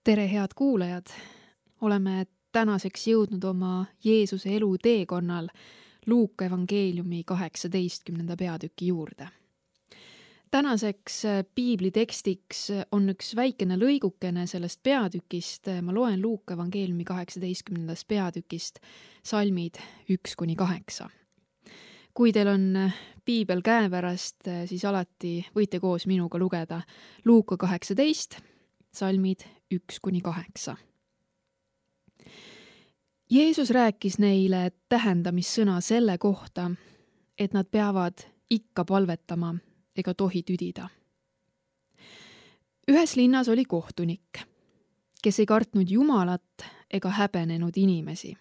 Tere, head kuulajad! Oleme tänaseks jõudnud oma Jeesuse elu teekonnal Luuka evangeeliumi 18. peatüki juurde. Tänaseks piiblitekstiks on üks väikene lõigukene sellest peatükist. Ma loen Luuka evangeeliumi 18. peatükist salmid 1-8. Kui teil on piibel käepärast, siis alati võite koos minuga lugeda Luuka 18, salmid 1-8. Jeesus rääkis neile tähendamissõna selle kohta, et nad peavad ikka palvetama ega tohi tüdida. Ühes linnas oli kohtunik, kes ei kartnud Jumalat ega häbenenud inimesi.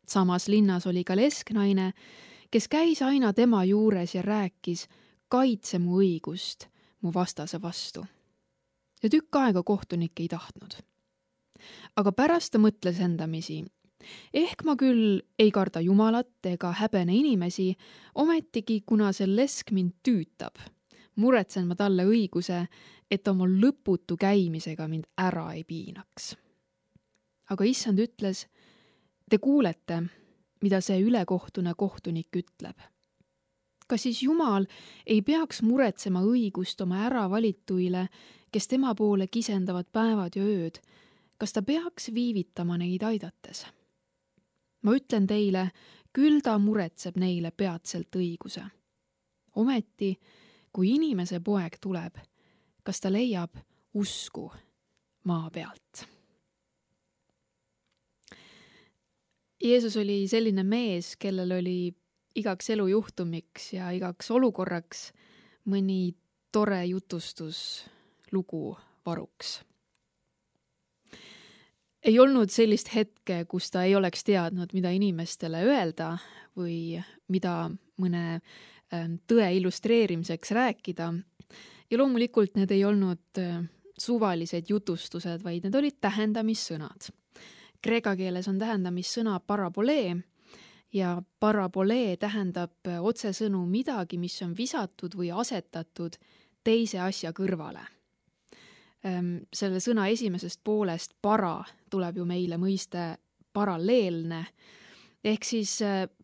Samas linnas oli ka lesknaine, kes käis aina tema juures ja rääkis, kaitse mu õigust mu vastase vastu. Ja tükk aega kohtunik ei tahtnud. Aga pärast ta mõtles endamisi, ehk ma küll ei karda Jumalat ega häbene inimesi, ometigi kuna see lesk mind tüütab, muretsen ma talle õiguse, et oma lõputu käimisega mind ära ei piinaks. Aga issand ütles, te kuulete, mida see ülekohtune kohtunik ütleb. Kas siis Jumal ei peaks muretsema õigust oma äravalituile, kes tema poole kisendavad päevad ja ööd, kas ta peaks viivitama neid aidates? Ma ütlen teile, küll ta muretseb neile peatselt õiguse. Ometi, kui inimese poeg tuleb, kas ta leiab usku maa pealt? Jeesus oli selline mees, kellel oli igaks elujuhtumiks ja igaks olukorraks mõni tore jutustus lugu varuks. Ei olnud sellist hetke, kus ta ei oleks teadnud, mida inimestele öelda või mida mõne tõe illustreerimiseks rääkida. Ja loomulikult need ei olnud suvalised jutustused, vaid need olid tähendamissõnad. Kreeka keeles on tähendamissõna parabolee ja parabolee tähendab otsesõnu midagi, mis on visatud või asetatud teise asja kõrvale. Selle sõna esimesest poolest para tuleb ju meile mõiste paralleelne. Ehk siis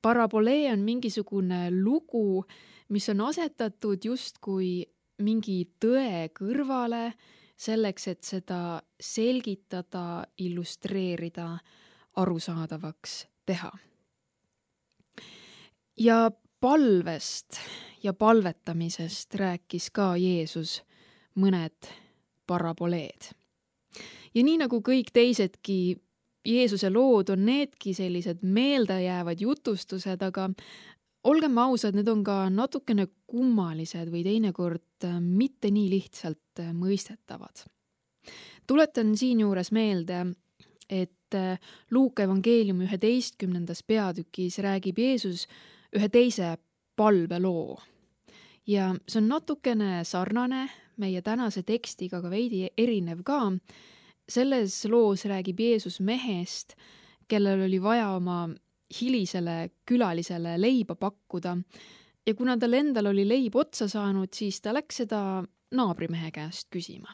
parabolee on mingisugune lugu, mis on asetatud justkui mingi tõe kõrvale, selleks, et seda selgitada, illustreerida, arusaadavaks teha. Ja palvest ja palvetamisest rääkis ka Jeesus mõned paraboleed. Ja nii nagu kõik teisedki Jeesuse lood on needki sellised meeldejäävad jutustused, aga olgem ausad, need on ka natukene kummalised või teinekord mitte nii lihtsalt mõistetavad. Tuletan siinjuures meelde, et Luuka evangeeliumi 11. peatükis räägib Jeesus ühe teise palveloo. Ja see on natukene sarnane meie tänase tekstiga, aga veidi erinev ka. Selles loos räägib Jeesus mehest, kellel oli vaja oma hilisele külalisele leiba pakkuda. Ja kuna tal endal oli leib otsa saanud, siis ta läks seda naabrimehe käest küsima.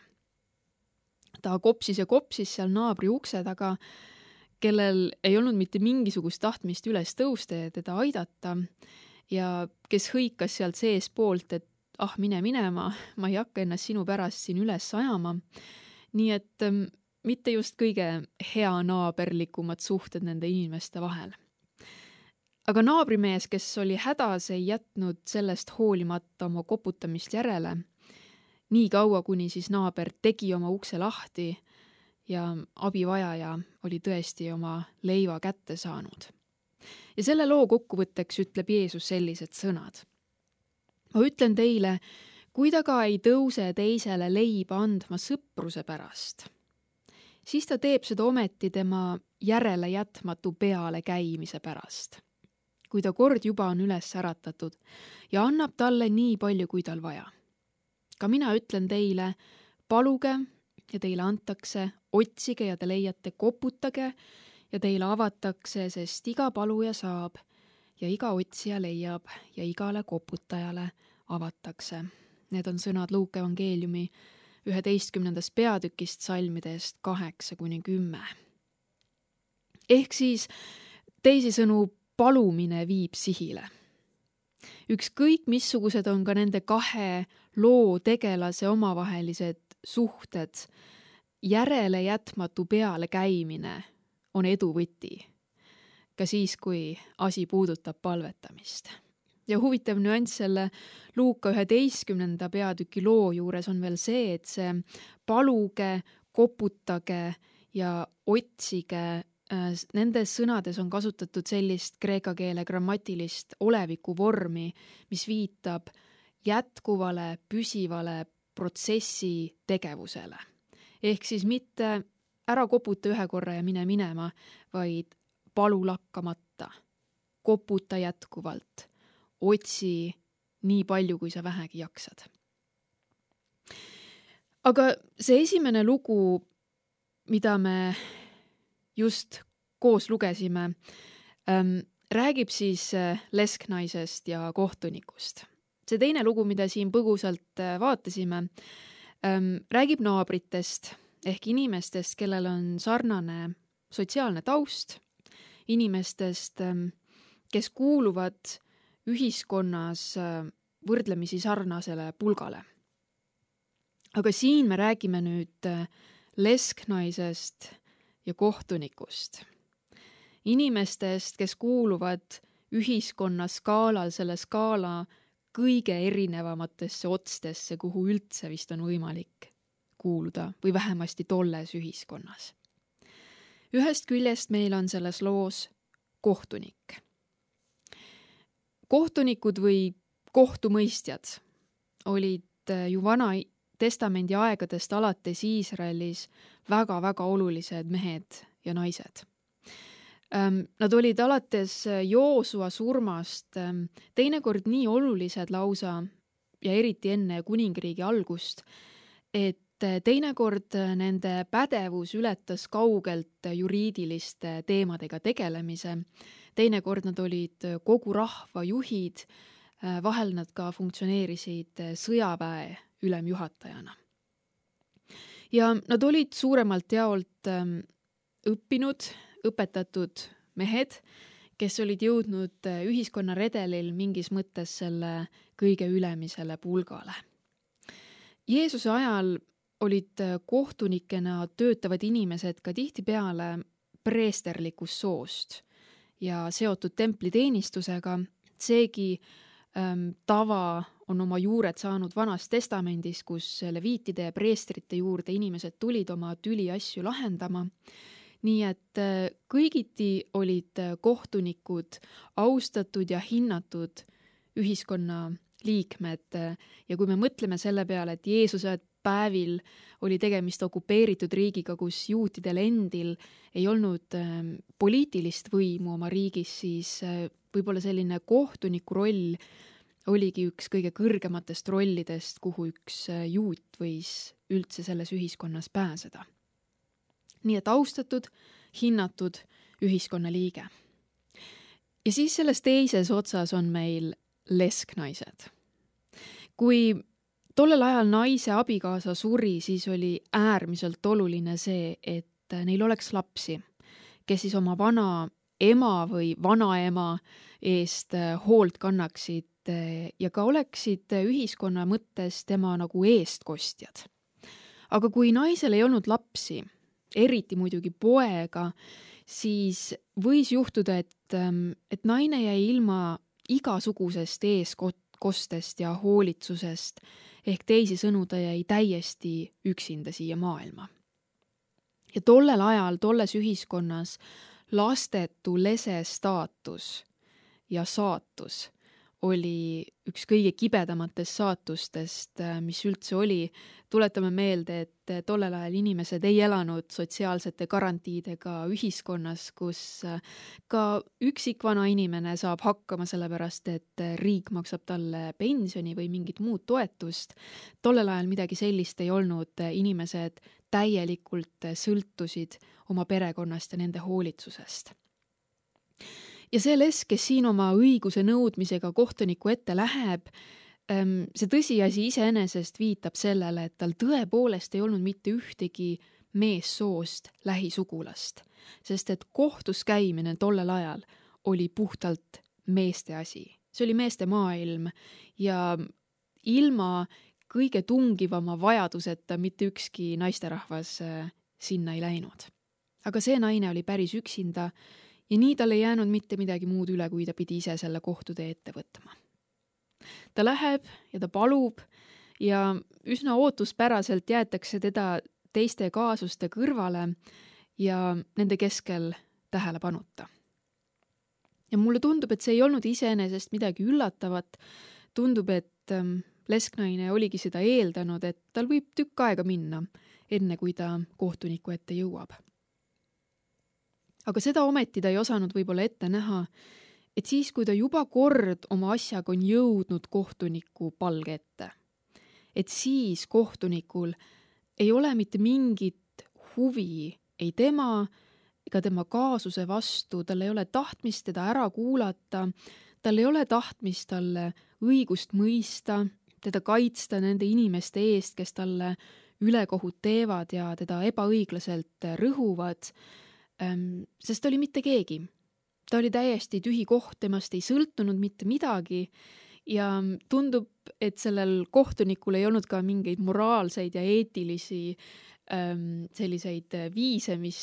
Ta kopsis ja kopsis seal naabri ukse taga, kellel ei olnud mitte mingisugust tahtmist üles tõusta ja teda aidata. Ja kes hõikas sealt sees poolt, et mine minema, ma ei hakka ennast sinu pärast siin üles ajama. Nii et mitte just kõige hea naaberlikumad suhted nende inimeste vahel. Aga naabrimees, kes oli hädas, ei jätnud sellest hoolimata oma koputamist järele. Nii kaua, kuni siis naaber tegi oma ukse lahti ja abivajaja oli tõesti oma leiva kätte saanud. Ja selle loo kokkuvõtteks ütleb Jeesus sellised sõnad. Ma ütlen teile, kui ta ka ei tõuse teisele leiba andma sõpruse pärast, siis ta teeb seda ometi tema järele jätmatu peale käimise pärast, kui ta kord juba on üles äratatud ja annab talle nii palju, kui tal vaja. Ka mina ütlen teile, paluge ja teile antakse, otsige ja te leiate, koputage ja teile avatakse, sest iga paluja saab ja iga otsija leiab ja igale koputajale avatakse. Need on sõnad Luuka evangeeliumi 11. peatükist salmidest 8-10. Ehk siis teisisõnu palumine viib sihile. Ükskõik missugused on ka nende kahe loo tegelase omavahelised suhted, järele jätmatu peale käimine on edu võti, ka siis, kui asi puudutab palvetamist. Ja huvitav nüanss selle Luuka 11. peatüki loo juures on veel see, et see paluge, koputage ja otsige, nendes sõnades on kasutatud sellist kreeka keele grammatilist oleviku vormi, mis viitab jätkuvale, püsivale protsessi tegevusele. Ehk siis mitte ära koputa ühe korra ja mine minema, vaid palu lakkamata, koputa jätkuvalt, otsi nii palju, kui sa vähegi jaksad. Aga see esimene lugu, mida me just koos lugesime, räägib siis lesknaisest ja kohtunikust. See teine lugu, mida siin põgusalt vaatasime, räägib naabritest ehk inimestest, kellel on sarnane sotsiaalne taust, inimestest, kes kuuluvad ühiskonnas võrdlemisi sarnasele pulgale. Aga siin me räägime nüüd lesknaisest ja kohtunikust. Inimestest, kes kuuluvad ühiskonna skaalal selle skaala kõige erinevamatesse otstesse, kuhu üldse vist on võimalik kuuluda või vähemasti tolles ühiskonnas. Ühest küljest meil on selles loos kohtunik. Kohtunikud või kohtumõistjad olid ju Vana Testamendi aegadest alates Iisraelis väga-väga olulised mehed ja naised. Nad olid alates Joosua surmast teinekord nii olulised lausa ja eriti enne kuningriigi algust, et teinekord nende pädevus ületas kaugelt juriidiliste teemadega tegelemise. Teinekord nad olid kogu rahva juhid, vahel nad ka funktsioneerisid sõjaväe ülemjuhatajana. Ja nad olid suuremalt jaolt õppinud, õpetatud mehed, kes olid jõudnud ühiskonna redelil mingis mõttes selle kõige ülemisele pulgale. Jeesuse ajal olid kohtunikena töötavad inimesed ka tihtipeale preesterlikust soost ja seotud templiteenistusega. Seegi tava on oma juured saanud Vanast Testamendis, kus leviitide ja preestrite juurde inimesed tulid oma tüliasju lahendama. Nii et kõigiti olid kohtunikud austatud ja hinnatud ühiskonna liikmed ja kui me mõtleme selle peale, et Jeesuse päevil oli tegemist okupeeritud riigiga, kus juutidel endil ei olnud poliitilist võimu oma riigis, siis võib-olla selline kohtuniku roll oligi üks kõige kõrgematest rollidest, kuhu üks juut võis üldse selles ühiskonnas pääseda. Nii et austatud, hinnatud ühiskonnaliige. Ja siis selles teises otsas on meil lesknaised. Kui tollel ajal naise abikaasa suri, siis oli äärmiselt oluline see, et neil oleks lapsi, kes siis oma vana ema või vanaema eest hoolt kannaksid ja ka oleksid ühiskonna mõttes tema nagu eestkostjad. Aga kui naisel ei olnud lapsi, eriti muidugi poega, siis võis juhtuda, et naine jäi ilma igasugusest eeskostest ja hoolitsusest, ehk teisisõnu ta jäi täiesti üksinda siia maailma. Ja tollel ajal, tolles ühiskonnas lastetu lese staatus ja saatus oli üks kõige kibedamatest saatustest, mis üldse oli. Tuletame meelde, et tollel ajal inimesed ei elanud sotsiaalsete garantiidega ühiskonnas, kus ka üksikvana inimene saab hakkama sellepärast, et riik maksab talle pensioni või mingit muud toetust. Tollel ajal midagi sellist ei olnud, inimesed täielikult sõltusid oma perekonnast ja nende hoolitsusest. Ja see lesk, kes siin oma õiguse nõudmisega kohtuniku ette läheb, see tõsiasi iseenesest viitab sellele, et tal tõepoolest ei olnud mitte ühtegi meessoost lähisugulast, sest et kohtus käimine tollel ajal oli puhtalt meeste asi. See oli meeste maailm ja ilma kõige tungivama vajaduseta mitte ükski naisterahvas sinna ei läinud. Aga see naine oli päris üksinda ja nii tal ei jäänud mitte midagi muud üle, kui ta pidi ise selle kohtutee ette võtma. Ta läheb ja ta palub ja üsna ootuspäraselt jäetakse teda teiste kaasuste kõrvale ja nende keskel tähelepanuta. Ja mulle tundub, et see ei olnud iseenesest midagi üllatavat. Tundub, et lesknaine oligi seda eeldanud, et tal võib tükk aega minna, enne kui ta kohtuniku ette jõuab. Aga seda ometi ta ei osanud võib-olla ette näha, et siis, kui ta juba kord oma asjaga on jõudnud kohtuniku palge ette, et siis kohtunikul ei ole mitte mingit huvi ei tema ega tema kaasuse vastu, tal ei ole tahtmist teda ära kuulata, tal ei ole tahtmist talle õigust mõista, teda kaitsta nende inimeste eest, kes talle ülekohut teevad ja teda ebaõiglaselt rõhuvad, sest ta oli mitte keegi. Ta oli täiesti tühi koht, temast ei sõltunud mitte midagi ja tundub, et sellel kohtunikul ei olnud ka mingeid moraalseid ja eetilisi selliseid viise, mis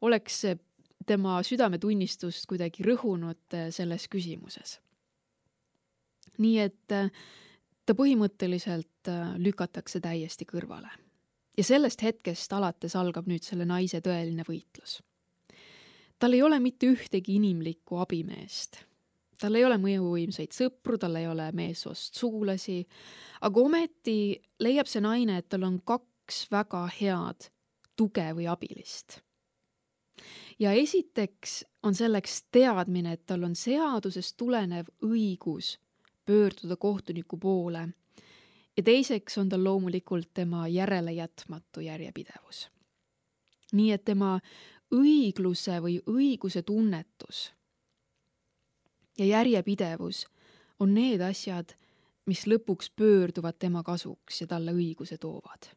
oleks tema südametunnistust kuidagi rõhunud selles küsimuses. Nii et ta põhimõtteliselt lükatakse täiesti kõrvale. Ja sellest hetkest alates algab nüüd selle naise tõeline võitlus. Tal ei ole mitte ühtegi inimlikku abimeest. Tal ei ole mõjuvõimsaid sõpru, tal ei ole meessoost sugulasi, aga ometi leiab see naine, et tal on kaks väga head tuge või abilist. Ja esiteks on selleks teadmine, et tal on seadusest tulenev õigus pöörduda kohtuniku poole ja teiseks on tal loomulikult tema järelejätmatu järjepidevus. Nii et tema õigluse või õiguse tunnetus ja järjepidevus on need asjad, mis lõpuks pöörduvad tema kasuks ja talle õiguse toovad.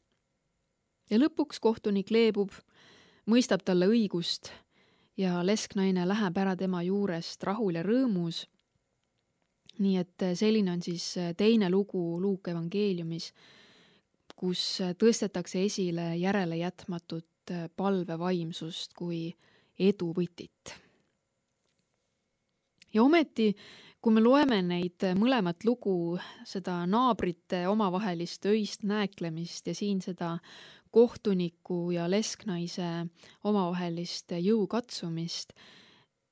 Ja lõpuks kohtunik leebub, mõistab talle õigust ja lesknaine läheb ära tema juurest rahul ja rõõmus. Nii et selline on siis teine lugu Luuka evangeeliumis, kus tõstetakse esile järelejätmatut palvevaimsust kui eduvõtit. Ja ometi, kui me loeme neid mõlemat lugu, seda naabrite omavahelist öist nääklemist ja siin seda kohtuniku ja lesknaise omavahelist jõukatsumist,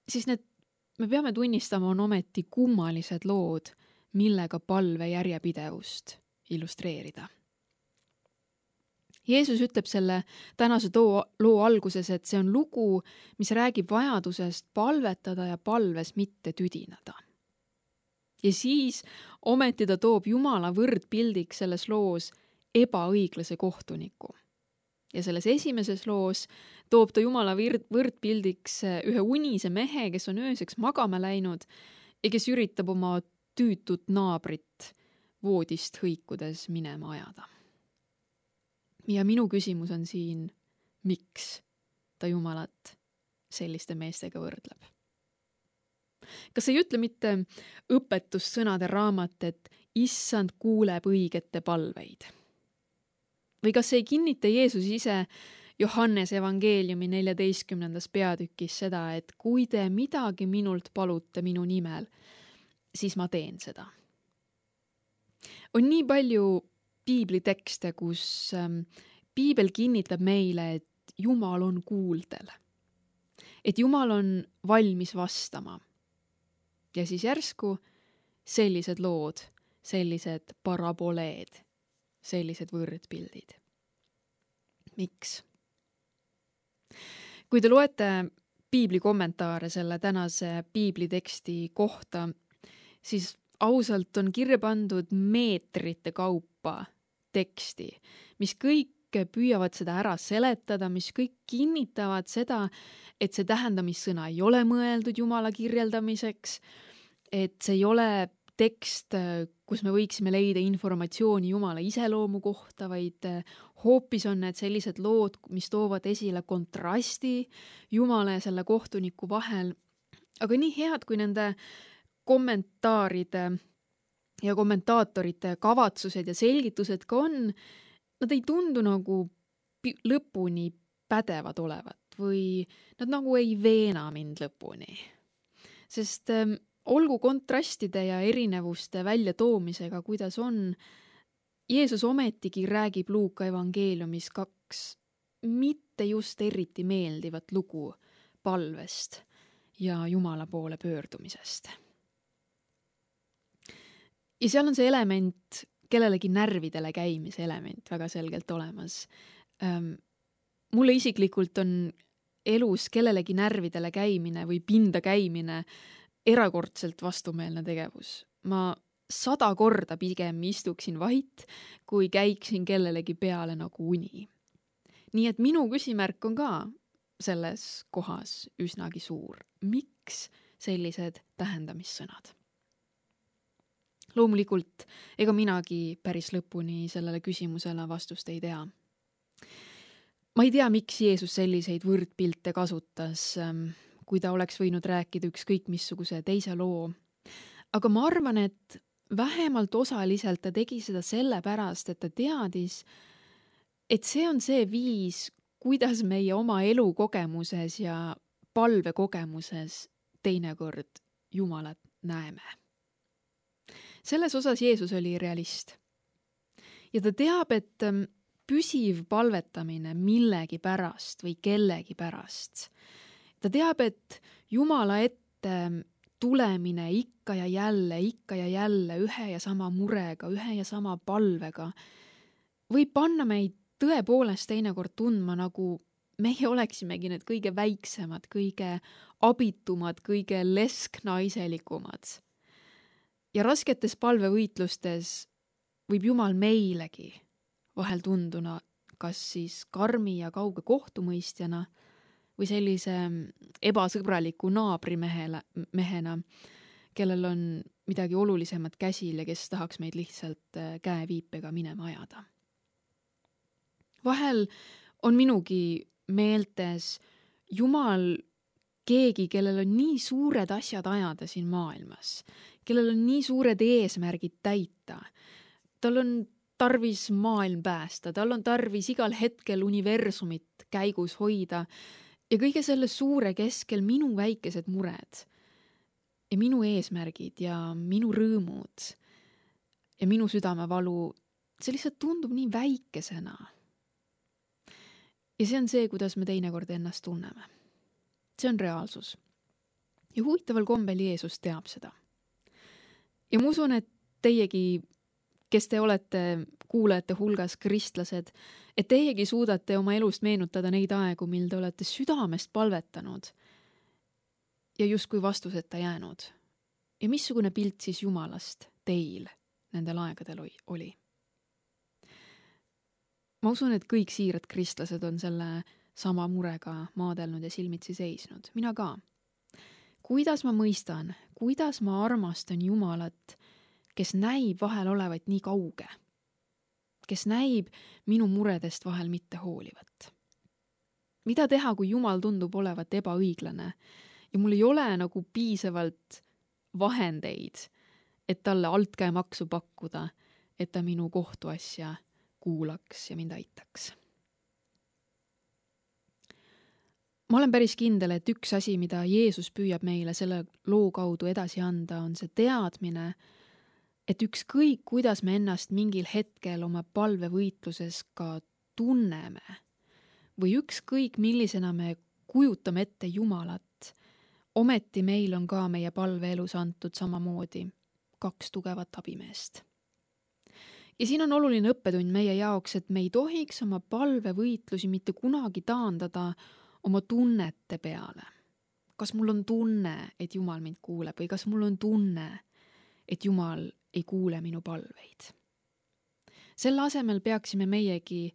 siis me peame tunnistama, on ometi kummalised lood, millega palve järjepidevust illustreerida. Jeesus ütleb selle tänase loo alguses, et see on lugu, mis räägib vajadusest palvetada ja palves mitte tüdinada. Ja siis ometi ta toob Jumala võrdpildiks selles loos ebaõiglase kohtuniku. Ja selles esimeses loos toob ta Jumala võrdpildiks ühe unise mehe, kes on ööseks magama läinud ja kes üritab oma tüütut naabrit voodist hõikudes minema ajada. Ja minu küsimus on siin, miks ta Jumalat selliste meestega võrdleb? Kas ei ütle mitte õpetussõnade raamat, et issand kuuleb õigete palveid? Või kas ei kinnita Jeesus ise Johannes evangeeliumi 14. peatükis seda, et kui te midagi minult palute minu nimel, siis ma teen seda? On nii palju piiblitekste, kus piibel kinnitab meile, et Jumal on kuuldel. Et Jumal on valmis vastama. Ja siis järsku sellised lood, sellised paraboleed, sellised võrdpildid. Miks? Kui te loete piibli kommentaare selle tänase piibliteksti kohta, siis ausalt on kirja pandud meetrite kaupa teksti, mis kõik püüavad seda ära seletada, mis kõik kinnitavad seda, et see tähendamissõna ei ole mõeldud Jumala kirjeldamiseks, et see ei ole tekst, kus me võiksime leida informatsiooni Jumala iseloomu kohta, vaid hoopis on need sellised lood, mis toovad esile kontrasti Jumala ja selle kohtuniku vahel. Aga nii head, kui nende kommentaaride ja kommentaatorite kavatsused ja selgitused ka on, nad ei tundu nagu lõpuni pädevad olevat või nad nagu ei veena mind lõpuni. Sest olgu kontrastide ja erinevuste väljatoomisega, kuidas on, Jeesus ometigi räägib Luuka evangeeliumis 2 mitte just eriti meeldivat lugu palvest ja Jumala poole pöördumisest. Ja seal on see element, kellelegi närvidele käimise element väga selgelt olemas. Mulle isiklikult on elus kellelegi närvidele käimine või pinda käimine erakordselt vastumeelne tegevus. Ma 100 korda pigem istuksin vait, kui käiksin kellelegi peale nagu uni. Nii et minu küsimärk on ka selles kohas üsnagi suur. Miks sellised tähendamissõnad? Loomulikult, ega minagi päris lõpuni sellele küsimusele vastust ei tea. Ma ei tea, miks Jeesus selliseid võrdpilte kasutas, kui ta oleks võinud rääkida ükskõik missuguse teise loo. Aga ma arvan, et vähemalt osaliselt ta tegi seda sellepärast, et ta teadis, et see on see viis, kuidas meie oma elukogemuses ja palvekogemuses teinekord Jumalat näeme. Selles osas Jeesus oli realist. Ja ta teab, et püsiv palvetamine millegi pärast või kellegi pärast. Ta teab, et Jumala ette tulemine ikka ja jälle ühe ja sama murega, ühe ja sama palvega võib panna meid tõepoolest teinekord tundma, nagu meie oleksimegi need kõige väiksemad, kõige abitumad, kõige lesknaiselikumad. Ja rasketes palvevõitlustes võib Jumal meilegi vahel tunduna kas siis karmi ja kauge kohtumõistjana või sellise ebasõbraliku naabrimehena, kellel on midagi olulisemat käsil ja kes tahaks meid lihtsalt käeviipega minema ajada. Vahel on minugi meeltes Jumal keegi, kellel on nii suured asjad ajada siin maailmas, kellel on nii suured eesmärgid täita. Tal on tarvis maailm päästa, tal on tarvis igal hetkel universumit käigus hoida ja kõige selle suure keskel minu väikesed mured ja minu eesmärgid ja minu rõõmud ja minu südamevalu, see lihtsalt tundub nii väikesena. Ja see on see, kuidas me teinekord ennast tunneme. See on reaalsus. Ja huvitaval kombel Jeesus teab seda. Ja ma usun, et teiegi, kes te olete kuulajate hulgas kristlased, et teiegi suudate oma elust meenutada neid aegu, mil te olete südamest palvetanud ja justkui vastuseta jäänud. Ja missugune pilt siis Jumalast teil nendel aegadel oli? Ma usun, et kõik siirad kristlased on selle sama murega maadelnud ja silmitsi seisnud. Mina ka. Kuidas ma mõistan, kuidas ma armastan Jumalat, kes näib vahel olevat nii kauge, kes näib minu muredest vahel mitte hoolivat. Mida teha, kui Jumal tundub olevat ebaõiglane ja mul ei ole nagu piisavalt vahendeid, et talle altkäemaksu pakkuda, et ta minu kohtuasja kuulaks ja mind aitaks. Ma olen päris kindel, et üks asi, mida Jeesus püüab meile selle loo kaudu edasi anda, on see teadmine, et ükskõik, kuidas me ennast mingil hetkel oma palvevõitluses ka tunneme või ükskõik, millisena me kujutame ette Jumalat, ometi meil on ka meie palveelus antud samamoodi 2 tugevat abimeest. Ja siin on oluline õppetund meie jaoks, et me ei tohiks oma palvevõitlusi mitte kunagi taandada oma tunnete peale. Kas mul on tunne, et Jumal mind kuuleb või kas mul on tunne, et Jumal ei kuule minu palveid. Selle asemel peaksime meiegi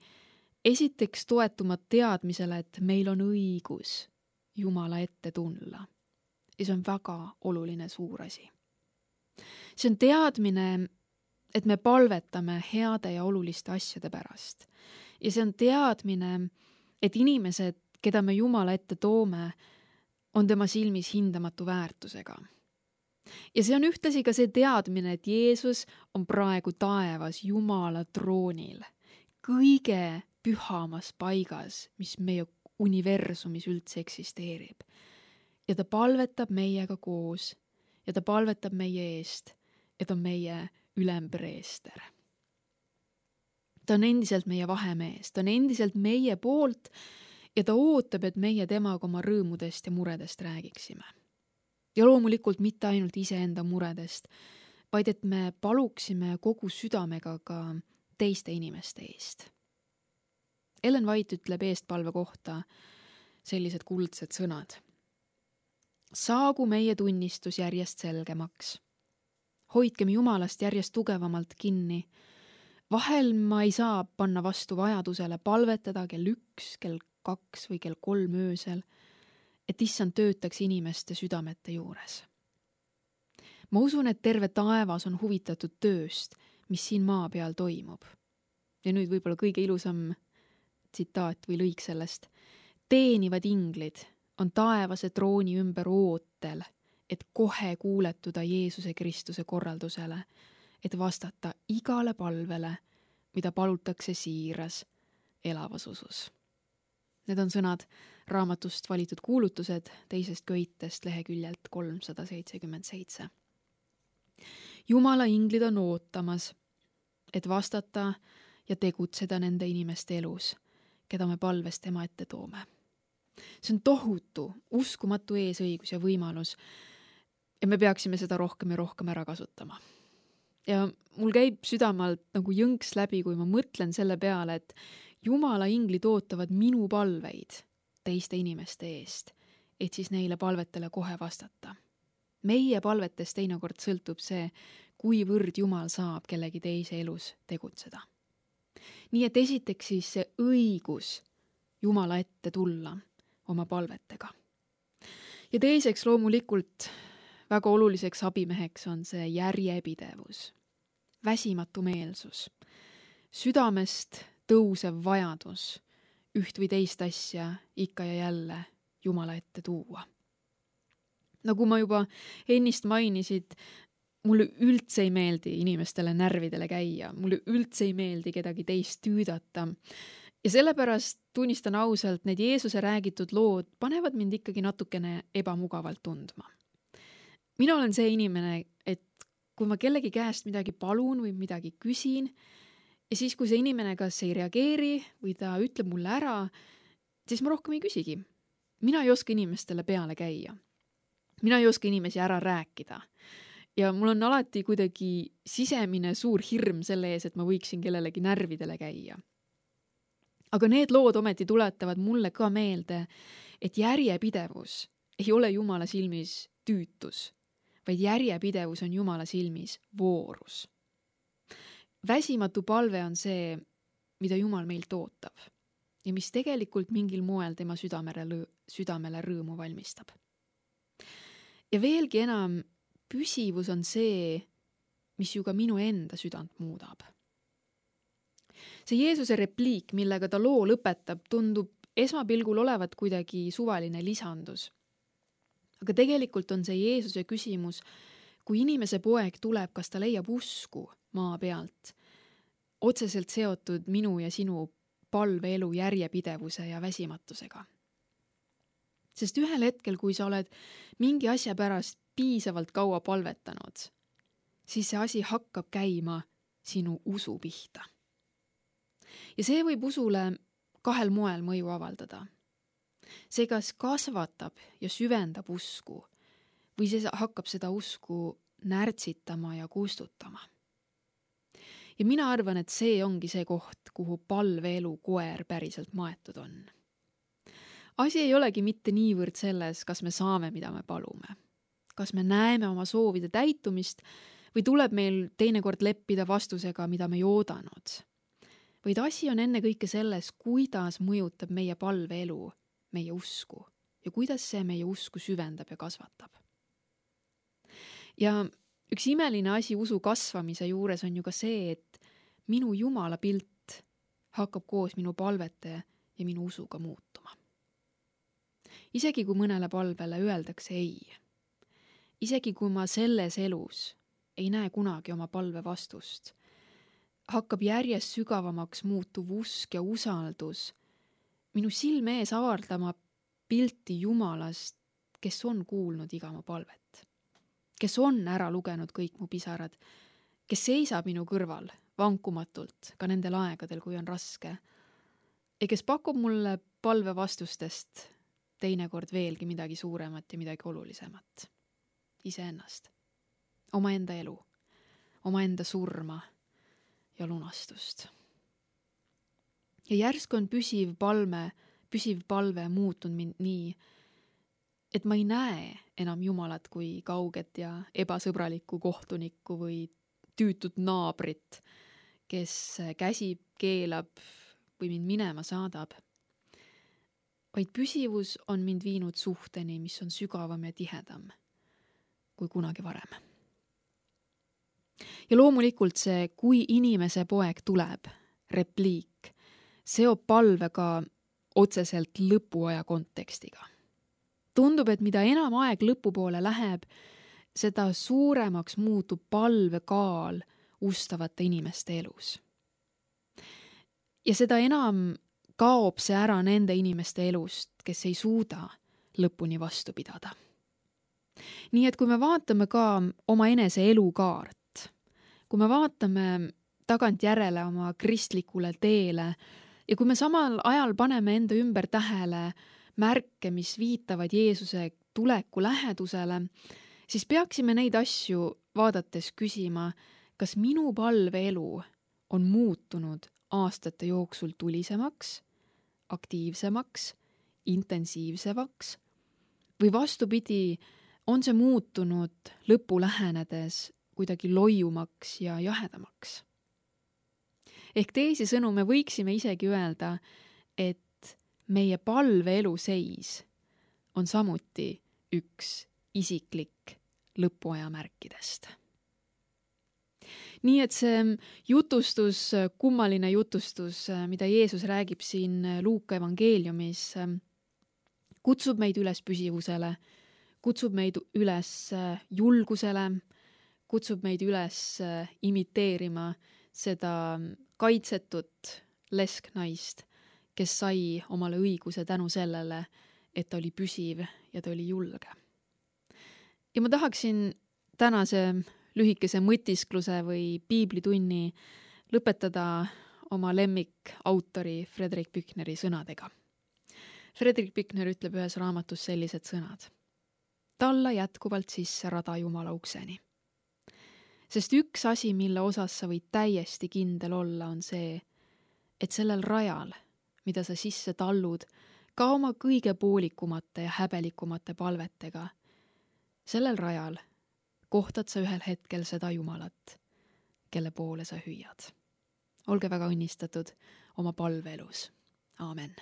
esiteks toetuma teadmisele, et meil on õigus Jumala ette tulla. Ja see on väga oluline suur asi. See on teadmine, et me palvetame heade ja oluliste asjade pärast. Ja see on teadmine, et inimesed, keda me Jumala ette toome, on tema silmis hindamatu väärtusega. Ja see on ühtlasi ka see teadmine, et Jeesus on praegu taevas Jumala troonil, kõige pühamas paigas, mis meie universumis üldse eksisteerib. Ja ta palvetab meiega koos ja ta palvetab meie eest, et on meie ülempreester. Ta on endiselt meie vahemees, ta on endiselt meie poolt ja ta ootab, et meie temaga oma rõõmudest ja muredest räägiksime. Ja loomulikult mitte ainult iseenda muredest, vaid et me paluksime kogu südamega ka teiste inimeste eest. Ellen White ütleb eestpalve kohta sellised kuldsed sõnad. Saagu meie tunnistus järjest selgemaks. Hoidkem Jumalast järjest tugevamalt kinni. Vahel ma ei saa panna vastu vajadusele palvetada kell 1, kell 2 või kell 3 öösel, et issand töötaks inimeste südamete juures. Ma usun, et terve taevas on huvitatud tööst, mis siin maa peal toimub. Ja nüüd võib-olla kõige ilusam tsitaat või lõik sellest. Teenivad inglid on taevase trooni ümber ootel, et kohe kuuletuda Jeesuse Kristuse korraldusele, et vastata igale palvele, mida palutakse siiras, elavas usus. Need on sõnad raamatust valitud kuulutused 2. köitest leheküljelt 377. Jumala inglid on ootamas, et vastata ja tegutseda nende inimeste elus, keda me palves tema ette toome. See on tohutu, uskumatu eesõigus ja võimalus ja me peaksime seda rohkem ja rohkem ära kasutama. Ja mul käib südamalt nagu jõnks läbi, kui ma mõtlen selle peale, et Jumala inglid ootavad minu palveid teiste inimeste eest, et siis neile palvetele kohe vastata. Meie palvetest teinekord sõltub see, kuivõrd Jumal saab kellegi teise elus tegutseda. Nii et esiteks siis see õigus Jumala ette tulla oma palvetega. Ja teiseks loomulikult väga oluliseks abimeheks on see järjepidevus, väsimatu meelsus, südamest tõusev vajadus üht või teist asja ikka ja jälle Jumala ette tuua. Nagu ma juba ennist mainisid, mulle üldse ei meeldi inimestele närvidele käia, mulle üldse ei meeldi kedagi teist tüüdata. Ja sellepärast tunnistan ausalt, need Jeesuse räägitud lood panevad mind ikkagi natukene ebamugavalt tundma. Mina olen see inimene, et kui ma kellegi käest midagi palun või midagi küsin, ja siis kui see inimene kas ei reageeri või ta ütleb mulle ära, siis ma rohkem ei küsigi. Mina ei oska inimestele peale käia. Mina ei oska inimesi ära rääkida. Ja mul on alati kuidagi sisemine suur hirm selle ees, et ma võiksin kellelegi närvidele käia. Aga need lood ometi tuletavad mulle ka meelde, et järjepidevus ei ole Jumala silmis tüütus, vaid järjepidevus on Jumala silmis voorus. Väsimatu palve on see, mida Jumal meilt ootab ja mis tegelikult mingil moel tema südamele rõõmu valmistab. Ja veelgi enam, püsivus on see, mis ju ka minu enda südant muudab. See Jeesuse repliik, millega ta loo lõpetab, tundub esmapilgul olevat kuidagi suvaline lisandus. Aga tegelikult on see Jeesuse küsimus, kui inimese poeg tuleb, kas ta leiab usku maa pealt, otseselt seotud minu ja sinu palveelu järjepidevuse ja väsimatusega. Sest ühel hetkel, kui sa oled mingi asja pärast piisavalt kaua palvetanud, siis see asi hakkab käima sinu usu pihta. Ja see võib usule kahel moel mõju avaldada. See kas kasvatab ja süvendab usku või see hakkab seda usku närtsitama ja kustutama. Ja mina arvan, et see ongi see koht, kuhu palveelu koer päriselt maetud on. Asi ei olegi mitte niivõrd selles, kas me saame, mida me palume. Kas me näeme oma soovide täitumist või tuleb meil teinekord leppida vastusega, mida me ei oodanud. Vaid asi on enne kõike selles, kuidas mõjutab meie palveelu meie usku ja kuidas see meie usku süvendab ja kasvatab. Ja üks imeline asi usu kasvamise juures on ju ka see, et minu Jumala pilt hakkab koos minu palvete ja minu usuga muutuma. Isegi kui mõnele palvele öeldakse ei, isegi kui ma selles elus ei näe kunagi oma palve vastust, hakkab järjest sügavamaks muutuv usk ja usaldus minu silme ees avardama pilti Jumalast, kes on kuulnud iga mu palvet, kes on ära lugenud kõik mu pisarad, kes seisab minu kõrval vankumatult ka nendel aegadel, kui on raske ja kes pakub mulle palve vastustest teinekord veelgi midagi suuremat ja midagi olulisemat. Iseennast, omaenda elu, omaenda surma ja lunastust. Ja järsku on püsiv palve muutunud mind nii, et ma ei näe enam Jumalat kui kauget ja ebasõbralikku kohtunikku või tüütut naabrit, kes käsib, keelab või mind minema saadab. Vaid püsivus on mind viinud suhteni, mis on sügavam ja tihedam kui kunagi varem. Ja loomulikult see, kui inimese poeg tuleb, repliik, seob palve ka otseselt lõpuaja kontekstiga. Tundub, et mida enam aeg lõpupoole läheb, seda suuremaks muutub palve kaal ustavate inimeste elus. Ja seda enam kaob see ära nende inimeste elust, kes ei suuda lõpuni vastu pidada. Nii et kui me vaatame ka oma enese elukaart, kui me vaatame tagantjärele oma kristlikule teele ja kui me samal ajal paneme enda ümber tähele märke, mis viitavad Jeesuse tuleku lähedusele, siis peaksime neid asju vaadates küsima, kas minu palveelu on muutunud aastate jooksul tulisemaks, aktiivsemaks, intensiivsemaks või vastupidi, on see muutunud lõpu lähenedes kuidagi loiumaks ja jahedamaks. Ehk teisisõnu me võiksime isegi öelda, et meie palveelu seis on samuti üks isiklik lõpuaja märkidest. Nii et see jutustus, kummaline jutustus, mida Jeesus räägib siin Luuka evangeeliumis, kutsub meid üles püsivusele, kutsub meid üles julgusele, kutsub meid üles imiteerima seda kaitsetut lesknaist, kes sai omale õiguse tänu sellele, et ta oli püsiv ja ta oli julge. Ja ma tahaksin tänase lühikese mõtiskluse või piiblitunni lõpetada oma lemmikautori Frederick Büchneri sõnadega. Frederick Büchner ütleb ühes raamatus sellised sõnad. Talla jätkuvalt sisse rada Jumala ukseni. Sest üks asi, mille osas sa võid täiesti kindel olla, on see, et sellel rajal, mida sa sisse tallud, ka oma kõige poolikumate ja häbelikumate palvetega, sellel rajal kohtad sa ühel hetkel seda Jumalat, kelle poole sa hüüad. Olge väga õnnistatud oma palveelus. Aamen.